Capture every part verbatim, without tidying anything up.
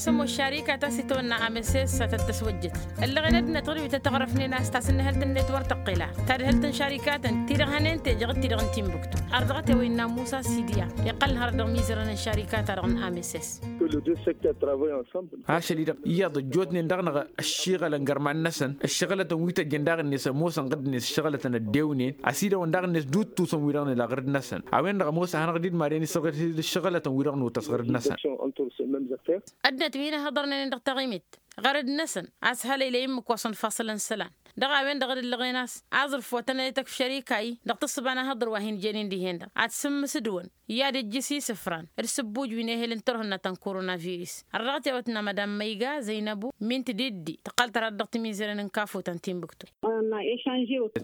Tămoos šarikat a-s itwănna amss a tăt-tăswăjjăt ǝllăɣen ăddinăt ɣur-wi tăt-ăɣrăfnen a-s tasǝnnǝhălt-net wăr tăqqel a tadhǝlt n-šarikatăn ti-dăɣ hănen teje ɣǝd ti-dăɣ n-tinbǝktu. Ardăɣăt i-a-wa innă musa sidya iqqălăn hărăt dăɣ-imizărăn n-šarikat-ta-dăɣ n-amss. Ašăl-i-dăɣ iyyăḍ ăjjootnen dăɣ-năɣ ăššiɣălăn gărman-năsăn ǝššăɣǝlătăn wi tăjjăn daɣ-net ămoosăn ɣǝdd-net ǝššăɣǝlătăn ăddewnen ăsidăwăn daɣ-net d-uttusăn wi-dăɣ nǝla ɣǝrǝd-năsăn. A-wen-dăɣ ămoos ad-hanăɣ-dd-marăn isăɣrǝd ǝššăɣǝlătăn wi-dăɣ nutăs ɣǝrǝd-năsăn. Ăddinăt wi hin-ăhhăḍărnen dăɣ-taɣimit ɣărăd-năsăn a-s hălăylăy ǝmmǝk wa s-ănfaṣǝlăn isălan dăɣ-a-wen-dăɣ d-ǝllăɣen a-s aẓrǝf wa tăn-ălăy tăkf šărik a-i dăɣ-tǝssǝba n-ahǝḍǝr wa hin-jănen dihen-dăɣ ad-sǝmmǝsǝdǝwăn i-ad-ǝjjǝs isǝfran d-sǝbbuj wi n-ehel n-turhǝnna ta n-koronavirus. Ărdăɣăt i-a-wa tǝnna madam măyga zăynăbu min tǝdiddi tǝqqăl tărha-dd dăɣ-timizăren n-kafut ta n-tinbǝktu.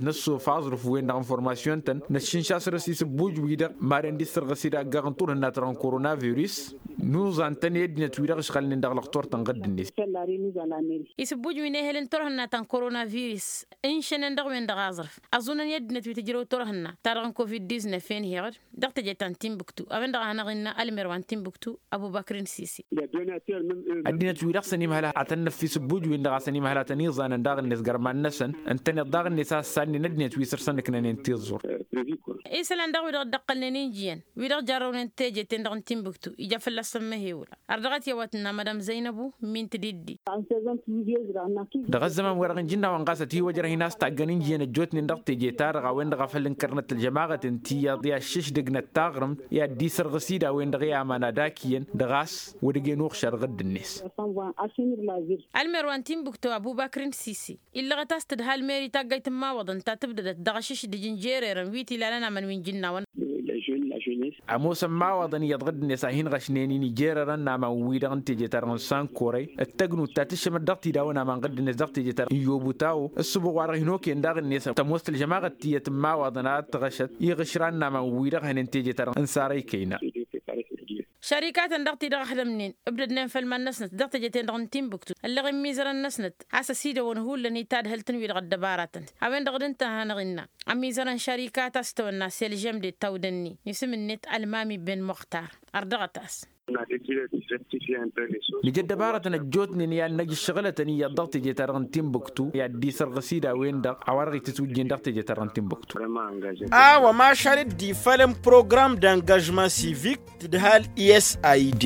Năssof aẓrǝf-wen-dăɣ informasyun-tăn năššǝnša săr-s isǝbbuj-wi-dăɣ maren d-issărɣǝs-dd aggaɣ n-turhǝnna ta dăɣ-n koronavirus. Nuẓan-tăn i-ăddinăt-wi-dăɣ ǝšɣalnen dăɣ-lăxtur-tăn ɣǝdd-net. Isǝbbuj wi n-ehel n-turhǝnna ta n-koronavirus ǝnšănen dăɣ-wen-dăɣ aẓrǝf ăẓunăn i-ăddinăt wi tǝjrăw turhǝnna ta dăɣ-n covid-disnef enheɣ-dd dăɣ-teje ta n-tinbǝktu a-wen-dăɣ a hanăɣ-innă ălmer wa n-tinbǝktu. Ăbubăkr n-sisi. Ăddinăt-wi-dăɣ s-ănimhăl ad-tăn-năffi s-ǝbbuj-win-dăɣ a-s ănimhăl ad-tăn-iẓanăn daɣ-net gărman-năsăn ǝntăneḍ daɣ-net a ăssannen ăddinăt wi săr-săn ǝknănen tiẓẓur. Isălan daɣ wi-dăɣ dd-ăqqălnen injǝyăn wi-dăɣ jarrăwnen teje-ten-dăɣ n-tinbǝktu ija fălla-săn măhewǝla. Ărdăɣăt i-a-wa tǝnna madam zăynăbu min tǝdiddi. Dăɣ-ăzzăman-wi-dăɣ ǝnjǝnnawen ɣas ătiwăjrăh-in a-s taggăn injǝyăn ăjjootnen dăɣ-teje-ta-dăɣ a-wen-dăɣ a făl ǝnkărnăt ălžămaɣăt n-tiyyăḍ i-ad-šǝšdǝgnăt taɣrǝmt i-ad-dd-isărɣǝs-dd a-wen-dăɣ i-aman ad-ak iyyăn dăɣ-a-s wăr dăgg-en uɣšar ɣǝdd-net. Ălmer wa n-tinbǝktu ăbubăkr n-sisi illăɣăt a-s tǝdha ălmer i-taggayt n-imawăḍăn ta tǝbdădăt dăɣ-ašǝšdǝj n-jererăn wi t-ilalăn aman wi n-jǝnnawăn. Ămoosăn imawaḍăn iyyăḍ ɣǝdd-net a hin-ɣăšnen-in ijerărăn n-aman-wi-dăɣ n-teje-ta-dăɣ n-sankorăy d-tăgnut ta tǝššămăt dăɣ-tidawăn aman ɣǝdd-net dăɣ-teje-ta-dăɣ n-yobuta-o. Ǝssǝbuɣ-wa-dăɣ hin-okăyăn daɣ-net tămoos tălžămaɣăt tiyyăt n-imawaḍăn ad-tăɣăšăt iɣǝšran n-aman-wi-dăɣ hănen teje-ta-dăɣ n-sarăy kăyna. Šărikatăn dăɣ-ti-dăɣ ăhlămnen ǝbdădnen făll-iman-năsnăt dăɣ-teje-ten-dăɣ n-tinbǝktu ălleɣ imizărăn-năsnăt a-s ăsidăwăn hullan i-tadhǝlt n-wi-dăɣ ăddăbaratăn. A-wen-dăɣ d-ǝnta a hanăɣ-innă ămizărăn šărikat a-s tăwănna s-elžămde tawdănni isǝm-net ălmami ben muxtar. Ărdăɣăt-as. Nǝja ăddăbaratăn ăjjootnen i-ad-năj ǝššăɣǝlătăn iyyăḍ dăɣ-teje-ta-dăɣ n-tinbǝktu i-ad-dd-isărɣǝs-dd a-wen-dăɣ a-wa-dăɣ itǝtwǝjjen dăɣ-teje-ta-dăɣ n-tinbǝktu. A-wa mašal dd-ifălăn program d-angažman sivik tǝdhal i s a i d.